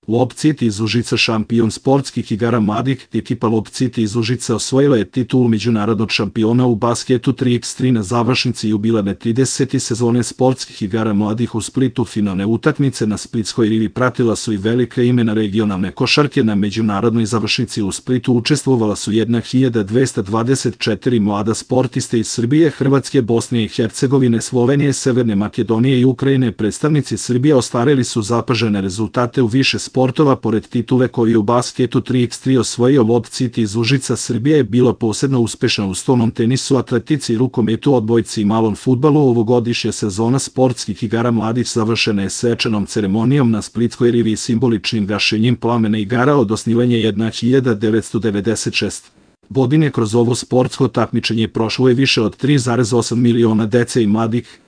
Lob City iz Užica, šampion sportskih igara mladih. Ekipa Lob City iz Užica osvojila je titulu međunarodnog šampiona u basketu 3x3 na završnici jubilarne 30. sezone sportskih igara mladih u Splitu. Finalne utakmice na splitskoj rivi pratila su i velika imena regionalne košarke. Na međunarodnoj završnici u Splitu učestvovala su 1224 mlada sportiste iz Srbije, Hrvatske, Bosne i Hercegovine, Slovenije, Severne Makedonije i Ukrajine. Predstavnici Srbije ostvarili su zapažene rezultate u više sportova. Pored titule koju je u basketu 3x3 osvojio Lob City iz Užica, Srbija je bila posebno uspešna u stolnom tenisu, atletici, rukometu, odbojci i malom fudbalu. Ovogodišnja sezona sportskih igara mladih završena je svečanom ceremonijom na splitskoj rivi i simboličnim gašenjem plamena igara od osnivanja 1996. godine. Kroz ovo sportsko takmičenje prošlo je više od 3,8 miliona dece i mladih.